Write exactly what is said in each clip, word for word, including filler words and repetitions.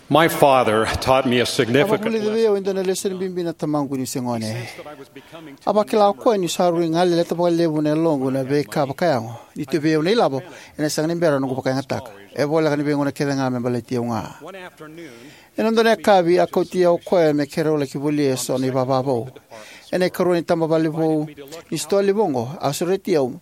My father taught me a significant lesson. A vakavulica vei au e dua na lesoni bibi na tamaqu niu se gone. A vakila o koya niu sa rui galeleta vakalevu na yaloqu na veika vakayago. Ni tu vei au na ilavo, ena sega ni bera noqu vakayagataka. E voleka ni veigauna kece ga me baleti au ga. Ena dua na yakavi, a kauti au o koya me keirau laki volia eso na ivava vou. Ena ikarua ni tabavale vou ni sitoa levu oqo, a sureti au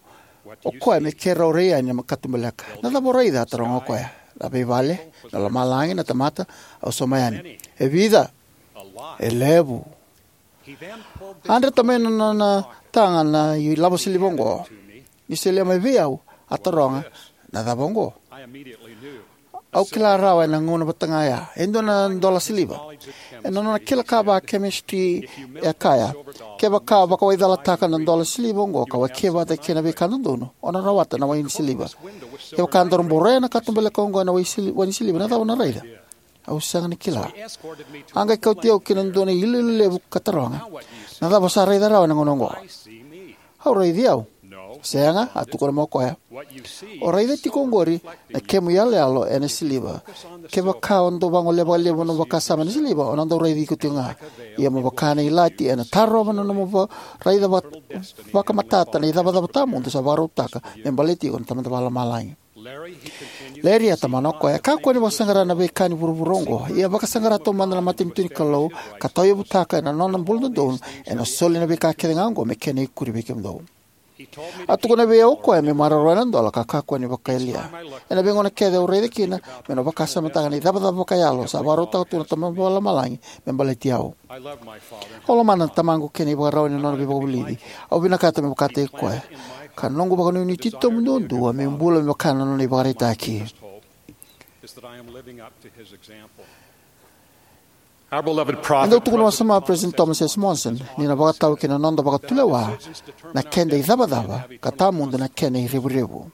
o koya me keirau rai yani na katubaleka. Na cava o raica? A taroga o koya. Na veivale, na lomalagi, na tamata. Au sauma yani. E vica? E levu. A dreta mai na nona taga na ilavo siliva oqo. Ni solia mai vei au, a taroga, na cava oqo? Au kila rawa ena gauna vata ga ya, e dua na dola siliva. Ena nona kila ka va chemistry, e kaya, kevaka o vakawaicalataka na dola siliva oqo ka wakia vata kei na veika dodonu, o na rawata na wai ni siliva. Kevaka daru boroya na katubaleka oqo ena wai sili-, wai ni siliva, na cava o na raica? Au sega ni kila. A qai kauti au ki na dua na iloilo levu ka taroga, na cava o sa raica rawa ena gauna oqo? Au raici au. Sega, a tukuna mai o koya. O raica tiko oqori na kemu iyaloyalo ena siliva. Kevaka o dau vagolea vakalevu na nomu vakasama ena siliva, o na dau raici iko tiko ga. Ia mo vaka na ilati, ena tarova na nomu va-, raica va-, vakamatata na icavacava tawamudu sa vakarautaka me baleti iko na Tamada Vakalomalagi. Larry, a tomana o koya, kakua ni vakasaqara na veika ni vuravura oqo. Ia vakasaqara taumada na matanitu ni Kalou, ka tauyavutaka ena nona bula dodonu, ena soli na veika kece ga oqo me kena ikuri vei kemudou. A tukuna vei au o koya meu maroroya na dola ka kakua ni vakayalia. Ena veigauna kece au raica kina, meu na vakasamataka na icavacava vakayalo sa vakarautaka tu na Tamada Vakalomalagi me baleti au. Au lomana na tamaqu kei na ivakarau ni nona veivakavulici. Au vinakata meu vakataki koya, ka noqu vakanuinui titobu duadua meu bula me vaka na nona ivakaraitaki. Our beloved E dau prophet tukuna wasoma o President Thomas S. Monson ni na vakatau ki na noda vakatulewa na keda icavacava ka tawamudu na kena irevurevu.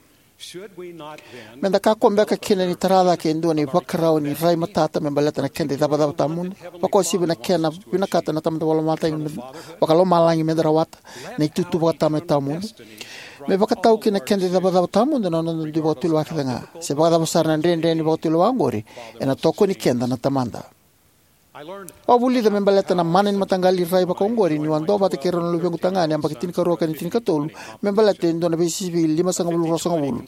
Meda kakua beka kina ni tara cake e dua na ivakarau ni rai matata me baleta na keda icavacava tawamudu, vakauasivi na kena vinakata na Tamada Vakalomalagi, Vakalomalagi meda rawata, na itutu vakatama e tawamudu? Me vakatau ki na keda icavacava tawamudu na noda dui vakatulewa kece ga. Se vakacava sara na dredre ni vakatulewa oqori, ena tokoni keda na Tamada. Au a vulica me baleta na mana ni mataqali rai vakaoqori niu a duavata kei rau na luvequ tagane yabaki tinikarua kei na tinikatolu, me baleta e dua na veisivi limasagavulu ruasagavulu.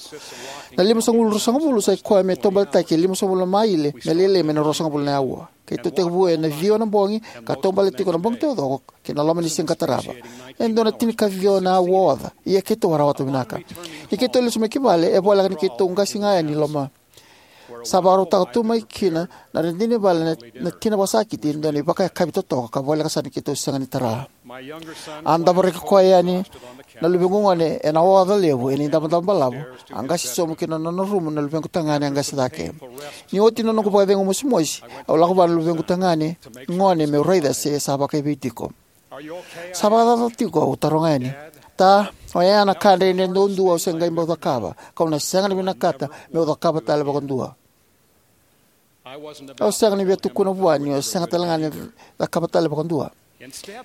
Na limasagavulu ruasagavulu sa i koya me taubaletaki e limasagavulu na maile me lailai mai na ruasagavulu na aua. Keitou tekivu ena ciwa na bogi ka taubale tiko na bogi taucoko ki na loma ni siga ka tarava. E dua na tinikaciwa na aua oca, ia keitou a rawata vinaka. Ni keitou lesu mai ki vale, e voleka ni keitou qasi ga yani i loma. Sa vakarautaka tu mai kina na radini vale na, na tina vakasakiti e dua na ivakayakavi totoka ka voleka sara ni keitou sega ni tara. A davoraki koya yani na luvequ gone ena oca levu ena idavodavo balavu. A qasi sobu ki na nona rumu na luvequ tagane a qasi cake. Ni oti na noqu vakacegu mosimosi, au lako vua na luvequ tagane gone meu raica se sa vakaivei tiko. Sa vakacava tiko? Au taroga yani. Ta, oya na ka dredre duadua au se qai bau cakava, kau na sega ni vinakata meu cakava tale vakadua. Au sega ni via tukuna vua niu sega tale ga ni cakava tale vakadua.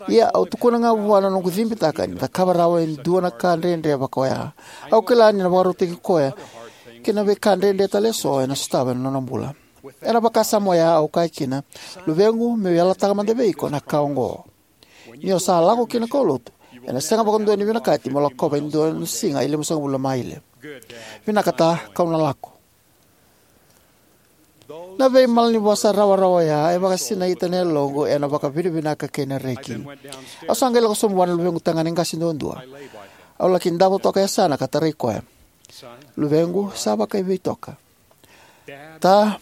Ia au tukuna ga vua na noqu cibitaka ni cakava rawa e dua na ka dredre vaka oya. Au kila ni na vakarautaki koya ki na veika dredre tale eso ena sotava ena nona bula. Ena vakasama oya au kaya kina, luvequ, meu yalataka mada vei iko na ka oqo. Ni o sa lako ki na kaulotu, ena sega vakadua ni vinakati mo lakova e dua na siga e limasagavulu na maile. Vinaka ta, kau na lako. Na veimalanivosa rawarawa oya e vakasinaita na yaloqu ena vakavinavinaka kei na reki. Au sa qai lako sobu vua na luvequ tagane qase duadua. Au laki davo toka e yasana ka tarai koya. Luvequ, sa vakaivei toka? Ta,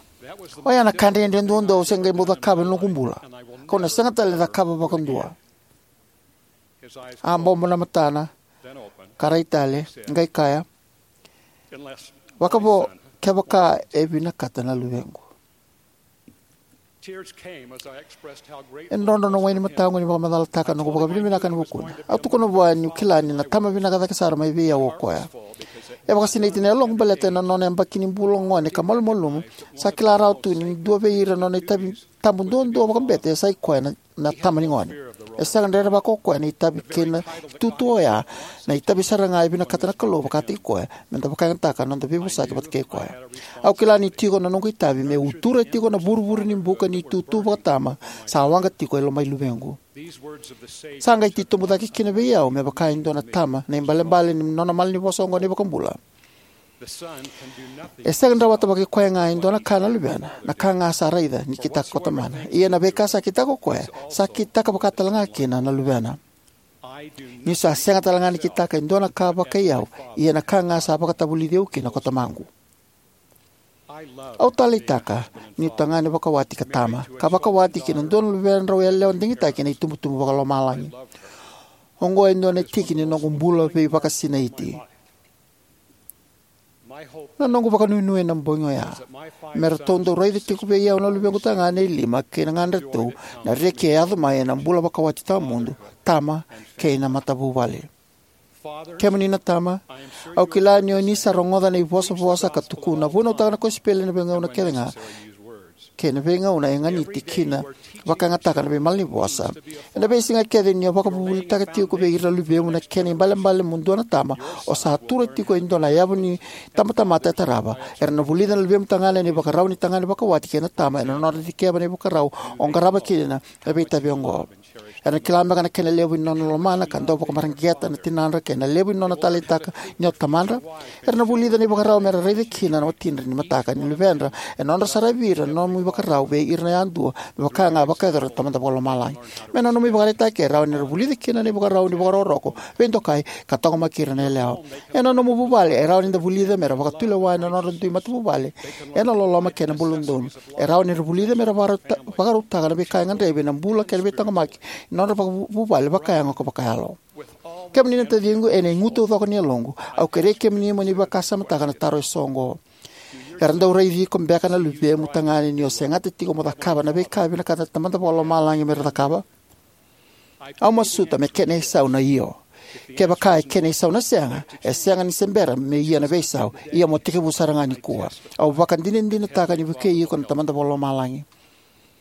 oya na ka dredre duadua au se qai bau cakava ena noqu bula, kau na sega tale ni cakava vakadua. A bobo na matana ka rai tale, qai kaya, vakavo kevaka e vinakata na luvequ. E drodro na wai ni mataqu ni vakamacalataka na noqu vakavinavinaka ena vukuna. Au tukuna vua niu kila ni na tama vinaka cake sara mai vei au o koya. E vakasinaiti na yaloqu baleta ena nona yabaki ni bula gone ka malumalumu, sa kila rawa tu ni dua vei ira na nona itavi tabu duadua vakabete sa i koya na, na tama ni gone. E sega ni rerevaka o koya na itavi kei na itutu oya. Na itavi sara ga e vinakata na Kalou vakataki koya, me da vakayagataka na noda veivosaki vata kei koya. Au kila ni tiko na noqu itavi meu utura tiko na vuruvuru ni buka ni itutu vakatama sa waqa tiko e loma i luvequ. Sa qai titobu cake kina vei au me vaka e dua na tama na ibalebale ni nona malanivosa oqo na iVakabula. E sega ni rawata vakai koya ga e dua na ka na luvena, na ka ga sa raica ni kitaka ko tamana. Ia na veika sa kitaka ko koya, sa kitaka vaka tale ga kina na luvena. Niu sa sega tale ga ni kitaka e dua na ka vakai au, ia na ka ga sa vakatavulici au kina ko tamaqu. Au taleitaka niu tagane vakawati ka tama, ka vakawati kei na dua na luvedrau yalewa digitaki ena itubutubu vakalomalagi. Oqo e dua na tiki ni noqu bula veivakasinaiti. Na noqu vakanuinui ena bogi oya me ratou dau raica tiko vei au na luvequ tagane e lima kei na ganedratou na reki e yaco mai ena bula vakawati tawamudu, tama, kei na matavuvale. Kemuni na tama, au kila ni o ni sa rogoca na ivosavosa ka tukuna, vunautaka na kosipeli ena veigauna kece ga, kei na veigauna e ganiti kina vakayagataka na veimalanivosa. Ena veisiga kece ni o vakavuvulitaka tiko vei ira na luvemu na kena ibalebale mo dua na tama, o sa tura tiko e dua na yavu ni tabatamata e tarava. Era na vulica na luvemu tagane na ivakarau ni tagane vakawati kei na tama ena nodra dikeva na ivakarau o qarava kina na veitavi oqo. Era na kila beka na kena levu ni nona lomana ka dau vakamareqeta na tinadra kei na levu ni nona taleitaka ni o tamadra? Era na vulica na ivakarau me ra raica kina na watidra ni mataka ni luvedra ena nodra saravi ira na nomu ivakarau vei ira yadua, me vaka ga e vakayacora na Tamada Vakalomalagi. Me na nomu ivakaraitaki, e rawa ni ra vulica kina na ivakarau ni vakarokoroko, veidokai, ka taqomaki ira na yalewa. Ena nomu vuvale, e rawa ni da vulica me ra vakatulewa ena nodra dui matavuvale ena loloma kei na bula dodonu. E rawa ni ra vulica me ra vakarauta-, vakarautaka na veika e gadrevi ena bula kei na veitaqomaki ni nodra vakavuvale vakayago ka vakayalo. Kemuni na taciqu, ena igu taucoko ni yaloqu, au kerei kemuni mo ni vakasamataka na taro eso oqo. Era dau raici iko beka na luvemu tagane ni o segata tiko mo cakava na veika e vinakata na Tamada Vakalomalagi me ra cakava? Au masuta me kena isau na io. Kevaka e kena isau na sega, e sega ni se bera me ia na veisau, ia mo tekivu sara ga nikua. Au vakadinadinataka ni vukei iko na Tamada Vakalomalagi.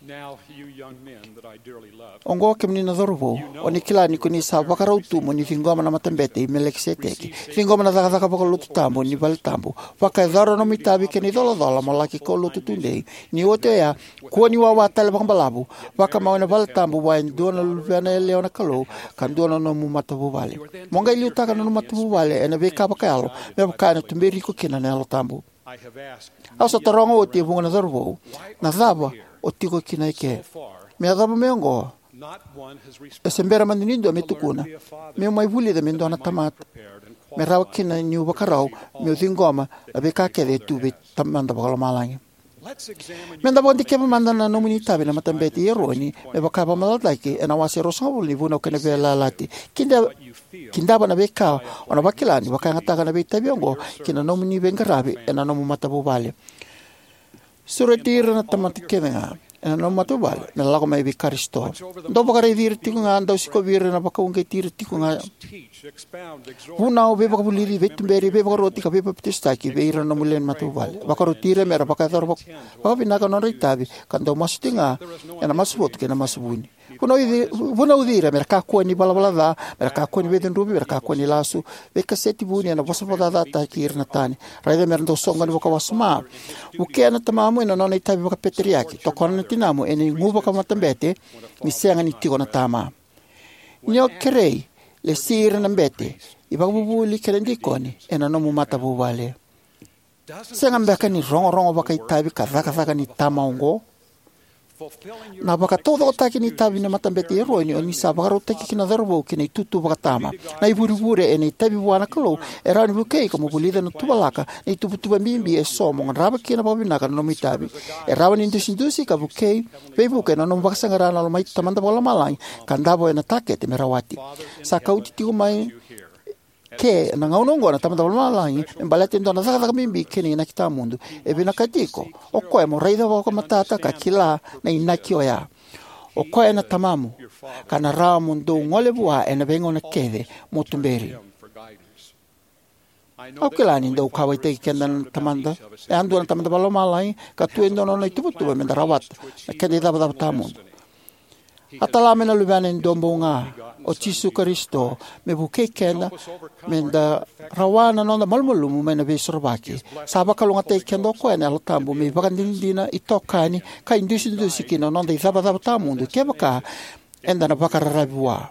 Now, you young men that I dearly love, oqo kemuni na cauravou, o ni kila ni ko ni sa vakarau tu mo ni ciqoma na Matabete i Melikiseteki, ciqoma na cakacaka vakalotu tabu ni vale tabu, vakayacora na nomu itavi kei na icolacola mo laki kaulotu tudei. Ni oti oya, kua ni wawa tale vakabalavu, vakamau ena vale tabu vua e dua na luvena yalewa na Kalou, ka dua na nomu matavuvale. Mo qai liutaka na nomu matavuvale ena veika vakayalo, me vaka ena tuberi iko kina na Yalo Tabu. Au sa taroga oti e vuqa na cauravou, na cava o tiko kina eke? Me yacova mai oqo, e se bera mada ni dua me tukuna, meu mai vulica me dua na tamata, me rawa kina niu vakarau meu ciqoma na veika kece e tu vei Tamada Vakalomalagi. Me da vakadikeva mada na nomuni itavi na Matabete i Eroni, me vaka e vakamacalataki ena wase ruasagavulu ni Vunau kei na Veiyalayalati. Kida-, kidava na veika o na vakila ni vakayagataka na veitavi oqo ki na nomuni veiqaravi ena nomu matavuvale. Sureti ira na tamata kece ga ena nomu matavuvale me lako mai vei Karisito. Dau vakaraici ira tiko ga, dau sikovi ira, na vakauqeti ira tiko ga. Vunau, veivakavulici, veituberi, veivakaroti ka veipapitaisotaki vei ira na nomu lewe ni matavuvale. Vakaroti ira me ra vakayacora vak-, vakavinaka na nodra itavi, ka dau masu tiko ga ena masu votu kei na masu vuni. Vunauci, vunauci ira me ra kakua ni valavala ca, me ra kakua ni veicudruvi, me ra kakua ni lasu, veikaseti vuni ena vosa vakacacataki ira na tani. Raica me ra dau soqoni vakawasoma. Vukea na tamamu ena nona itavi vakapeteriaki. Tokona na tinamu ena igu vakamatabete ni sega ni tiko na tama. Ni o kerei, lesi ira na bete, ivakavuvuli kei na dikoni ena nomu matavuvale. Sega beka ni rogorogo vakaitavi ka cakacaka ni tama oqo? Na vakataucokotaki ni itavi ni Matabete i Eroni, o ni sa vakarautaki kina na cauravou ki na itutu vakatama. Na ivurevure ena itavi vua na Kalou e rawa ni vukei iko mo vulica na tuvalaka, na ituvatuva bibi eso mo qarava kina vakavinaka na nomu itavi. E rawa ni dusidusi ka vukei, veivuke ena nomu vakasaqara na loma i Tamada Vakalomalagi ka davo ena takete me rawati. Sa kauti tiko mai ke na gauna oqo na Tamada Vakalomalagi me baleta e dua na cakacaka bibi kei na inaki tawamudu. E vinakati iko o koya mo raica vakamatata ka kila na inaki oya. O koya na tamamu, ka na rawa mo dou gole vua ena veigauna kece mo tuberi. Au kila ni dau kauwaitaki keda na Tamada, yadua na Tamada Vakalomalagi, ka tu e dua na nona ituvatuva me da rawata na keda icavacava tawamudu. A tala mai na Luvena e Duabau Ga, o Jisu Karisito, me vukei keda me da rawa na noda malumalumu mai na Veisorovaki. Sa vakalougatataki keda o Koya ena Yalo Tabu me ivakadinadina, itokani, ka idusidusi ki na noda icavacava tawamudu kevaka eda na vakararavi Vua.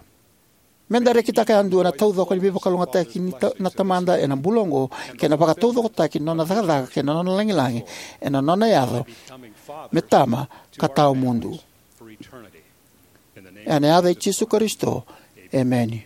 Me da rekitaka yadua na taucoko ni veivakalougatataki ni ta- na Tamada ena bula oqo, kei na vakataucokotaki ni Nona cakacaka kei na Nona lagilagi ena Nona yaco me Tama ka tawamudu.Ena yaca i Jisu Karisito, emeni.